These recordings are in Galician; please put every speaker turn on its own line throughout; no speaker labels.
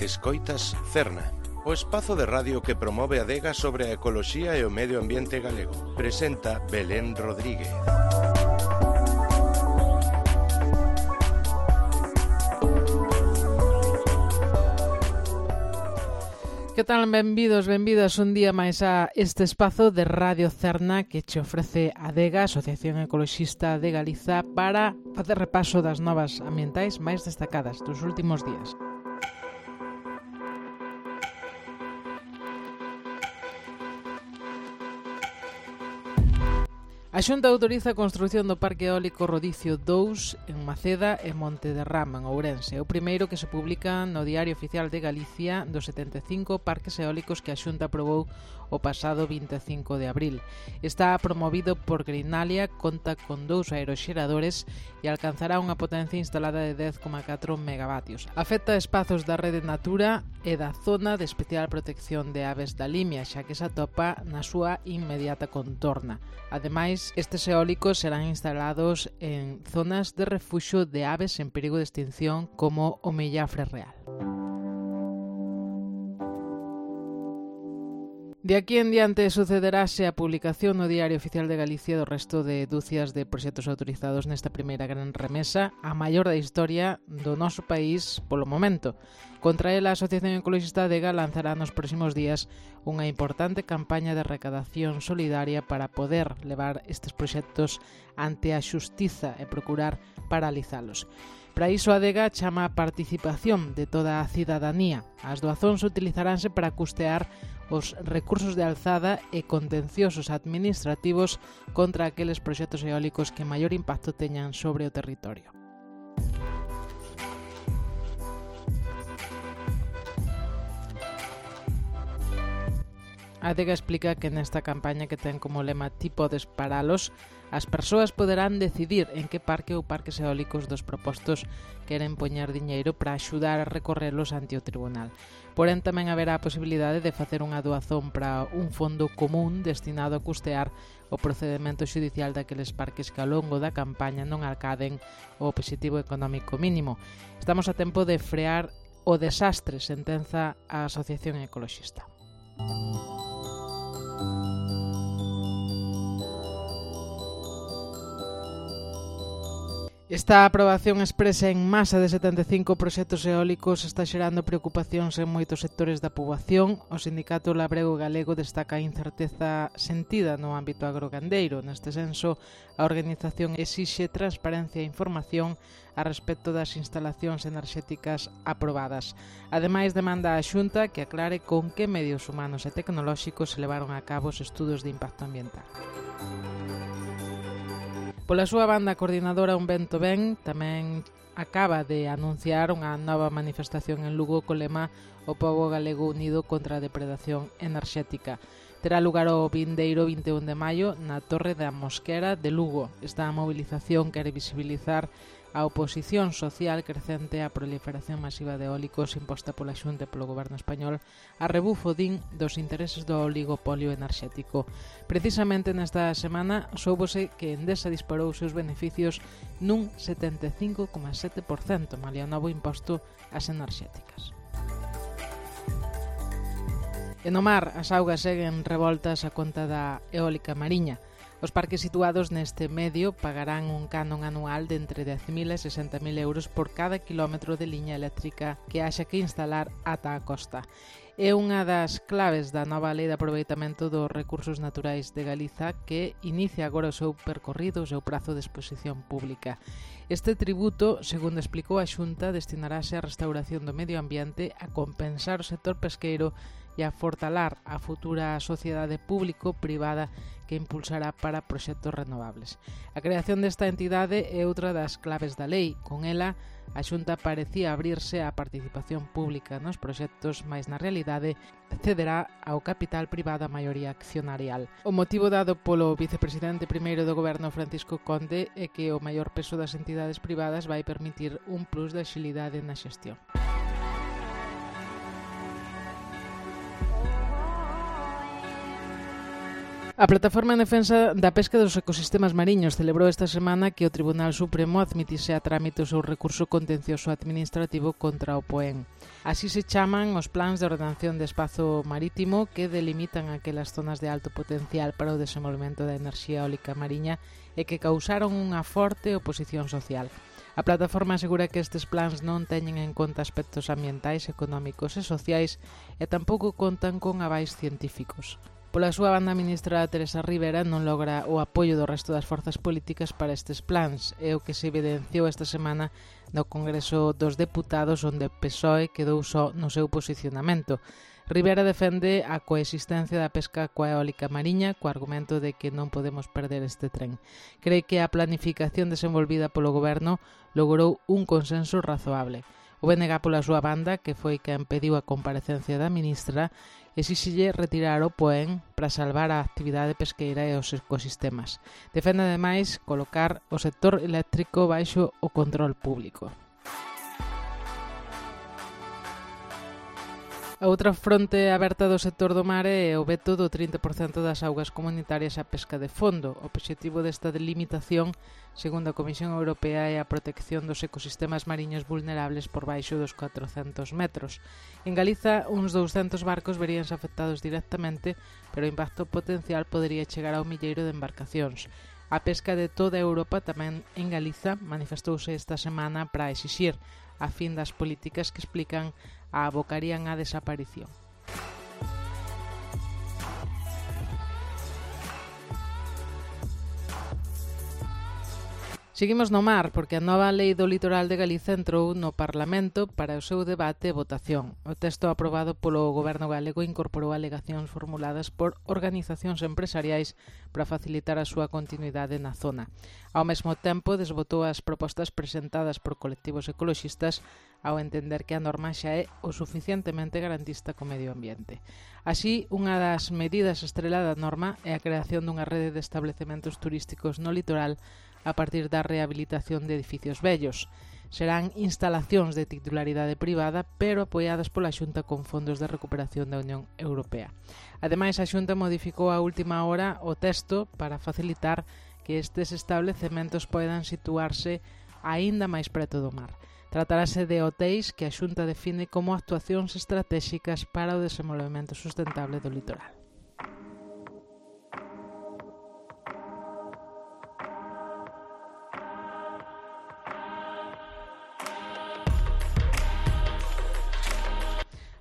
Escoitas Cerna, o espazo de radio que promove a adega sobre a ecoloxía e o medio ambiente galego. Presenta Belén Rodríguez.
Que tal? Benvidos, benvidas un día máis a este espazo de Radio Cerna que che ofrece a ADEGA, Asociación Ecoloxista de Galiza, para facer repaso das novas ambientais máis destacadas dos últimos días. A Xunta autoriza a construción do Parque Eólico Rodicio 2 en Maceda e Monte de Rama, en Ourense. É o primeiro que se publica no Diario Oficial de Galicia dos 75 parques eólicos que a Xunta aprobou o pasado 25 de abril. Está promovido por Greenalia, conta con 2 aeroxeradores e alcanzará unha potencia instalada de 10,4 megavatios. Afecta espazos da rede Natura e da zona de especial protección de aves da Limia, xa que se atopa na súa inmediata contorna. Ademais, estes eólicos serán instalados en zonas de refuxo de aves en perigo de extinción como o mellafre real. De aquí en diante sucederase a publicación no Diario Oficial de Galicia do resto de dúcias de proxectos autorizados nesta primeira gran remesa, a maior da historia do noso país polo momento. Contra ela, a Asociación Ecoloxista ADEGA lanzará nos próximos días unha importante campaña de recadación solidaria para poder levar estes proxectos ante a xustiza e procurar paralizalos. Para iso, a ADEGA chama a participación de toda a cidadanía. As doazóns utilizaránse para custear os recursos de alzada e contenciosos administrativos contra aqueles proxectos eólicos que maior impacto teñan sobre o territorio. A ADEGA explica que nesta campaña, que ten como lema "Ti podes paralos", as persoas poderán decidir en que parque ou parques eólicos dos propostos queren poñer diñeiro para axudar a recorrelos ante o tribunal. Porén, tamén haberá a posibilidade de facer unha doazón para un fondo común destinado a custear o procedemento xudicial daqueles parques que ao longo da campaña non alcaden o obxectivo económico mínimo. Estamos a tempo de frear o desastre, sentenza a Asociación Ecoloxista. Esta aprobación expresa en masa de 75 proxectos eólicos está xerando preocupacións en moitos sectores da poboación. O Sindicato Labrego Galego destaca a incerteza sentida no ámbito agrogandeiro. Neste senso, a organización exixe transparencia e información a respecto das instalacións enerxéticas aprobadas. Ademais, demanda á Xunta que aclare con que medios humanos e tecnolóxicos se levaron a cabo os estudos de impacto ambiental. Pola súa banda, a coordinadora Un Vento Ben tamén acaba de anunciar unha nova manifestación en Lugo co lema "O pobo galego unido contra a depredación enerxética". Terá lugar o vindeiro 21 de maio na Torre da Mosquera de Lugo. Esta movilización quere visibilizar a oposición social crecente á proliferación masiva de eólicos imposta pola Xunta e polo goberno español a rebufo, din, dos intereses do oligopolio enerxético. Precisamente nesta semana soubose que Endesa disparou os seus beneficios nun 75,7%, malia o novo imposto ás enerxéticas. E no mar, as augas seguen revoltas a conta da eólica mariña. Os parques situados neste medio pagarán un canon anual de entre 10.000 e 60.000 euros por cada quilómetro de liña eléctrica que haxa que instalar ata a costa. É unha das claves da nova lei de aproveitamento dos recursos naturais de Galiza que inicia agora o seu percorrido, o seu prazo de exposición pública. Este tributo, segundo explicou a Xunta, destinarase á restauración do medio ambiente, a compensar o sector pesqueiro e a fortalar a futura sociedade público-privada que impulsará para proxectos renovables. A creación desta entidade é outra das claves da lei. Con ela, a Xunta parecía abrirse á participación pública nos proxectos, mais na realidade cederá ao capital privado a maioría accionarial. O motivo dado polo vicepresidente primeiro do goberno Francisco Conde é que o maior peso das entidades privadas vai permitir un plus de axilidade na xestión. A Plataforma en Defensa da Pesca dos Ecosistemas Mariños celebrou esta semana que o Tribunal Supremo admitise a trámite o seu recurso contencioso administrativo contra o POEN. Así se chaman os plans de ordenación de espazo marítimo que delimitan aquelas zonas de alto potencial para o desenvolvemento da enerxía eólica mariña e que causaron unha forte oposición social. A plataforma asegura que estes plans non teñen en conta aspectos ambientais, económicos e sociais e tampouco contan con avais científicos. Pola súa banda, a ministra Teresa Ribera non logra o apoio do resto das forzas políticas para estes plans, é o que se evidenciou esta semana no Congreso dos Deputados, onde o PSOE quedou só no seu posicionamento. Ribera defende a coexistencia da pesca coa eólica mariña co argumento de que non podemos perder este tren. Cree que a planificación desenvolvida polo goberno logrou un consenso razoable. O BNG, pola súa banda, que foi quen pediu a comparecencia da ministra, exíxelle retirar o POEN para salvar a actividade pesqueira e os ecosistemas. Defende, ademais, colocar o sector eléctrico baixo o control público. A outra fronte aberta do sector do mar é o veto do 30% das augas comunitarias á pesca de fondo. O obxectivo desta delimitación, segundo a Comisión Europea, é a protección dos ecosistemas mariños vulnerables por baixo dos 400 metros. En Galiza, uns 200 barcos veríanse afectados directamente, pero o impacto potencial podería chegar ao milleiro de embarcacións. A pesca de toda Europa, tamén en Galiza, manifestouse esta semana para exixir a fin das políticas que explican a abocarían á desaparición. Seguimos no mar, porque a nova lei do litoral de Galiza entrou no Parlamento para o seu debate e votación. O texto aprobado polo Goberno galego incorporou alegacións formuladas por organizacións empresariais para facilitar a súa continuidade na zona. Ao mesmo tempo, desbotou as propostas presentadas por colectivos ecoloxistas ao entender que a norma xa é o suficientemente garantista co medio ambiente. Así, unha das medidas estrela da norma é a creación dunha rede de establecementos turísticos no litoral a partir da rehabilitación de edificios vellos. Serán instalacións de titularidade privada, pero apoiadas pola Xunta con fondos de recuperación da Unión Europea. Ademais, a Xunta modificou a última hora o texto para facilitar que estes establecementos poidan situarse aínda máis preto do mar. Tratarase de hotéis que a Xunta define como actuacións estratégicas para o desenvolvemento sustentable do litoral.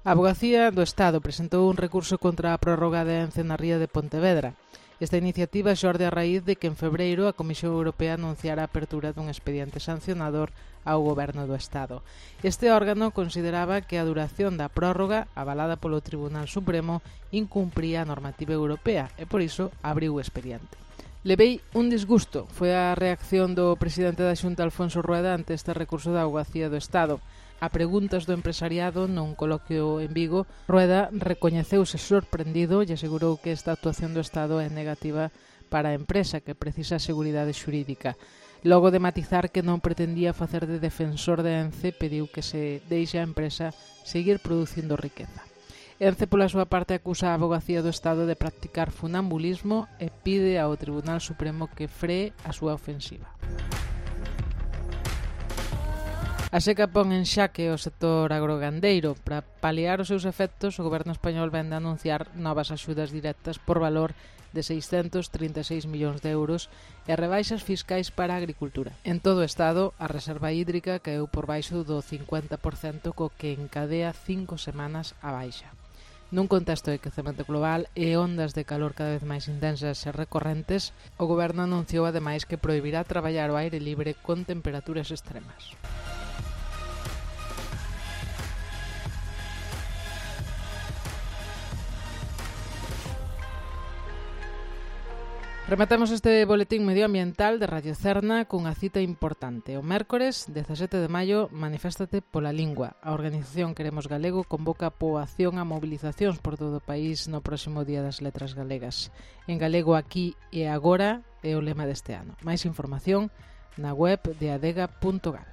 A Avogacía do Estado presentou un recurso contra a prórroga de Ence na ría de Pontevedra. Esta iniciativa xorde a raíz de que en febreiro a Comisión Europea anunciara a apertura dun expediente sancionador ao Goberno do Estado. Este órgano consideraba que a duración da prórroga, avalada polo Tribunal Supremo, incumpría a normativa europea e por iso abriu o expediente. Levei un disgusto, foi a reacción do presidente da Xunta, Alfonso Rueda, ante este recurso da Avogacía do Estado. A preguntas do empresariado nun coloquio en Vigo, Rueda recoñeceuse sorprendido e asegurou que esta actuación do Estado é negativa para a empresa, que precisa seguridade xurídica. Logo de matizar que non pretendía facer de defensor de Ence, pediu que se deixe a empresa seguir producindo riqueza. Ence, pola súa parte, acusa a Avogacía do Estado de practicar funambulismo e pide ao Tribunal Supremo que free a súa ofensiva. A seca pon en xaque o sector agrogandeiro. Para paliar os seus efectos, o Goberno español vende a anunciar novas axudas directas por valor de 636 millóns de euros e rebaixas fiscais para a agricultura. En todo o Estado, a reserva hídrica caeu por baixo do 50%, co que encadea 5 semanas a baixa. Nun contexto de quecemento global e ondas de calor cada vez máis intensas e recorrentes, o Goberno anunciou ademais que prohibirá traballar ao aire libre con temperaturas extremas. Rematamos este boletín medioambiental de Radio Cerna cunha cita importante. O mércores, 17 de maio, maniféstate pola lingua. A organización Queremos Galego convoca poboación a mobilizacións por todo o país no próximo Día das Letras Galegas. En galego aquí e agora é o lema deste ano. Máis información na web de adega.gal.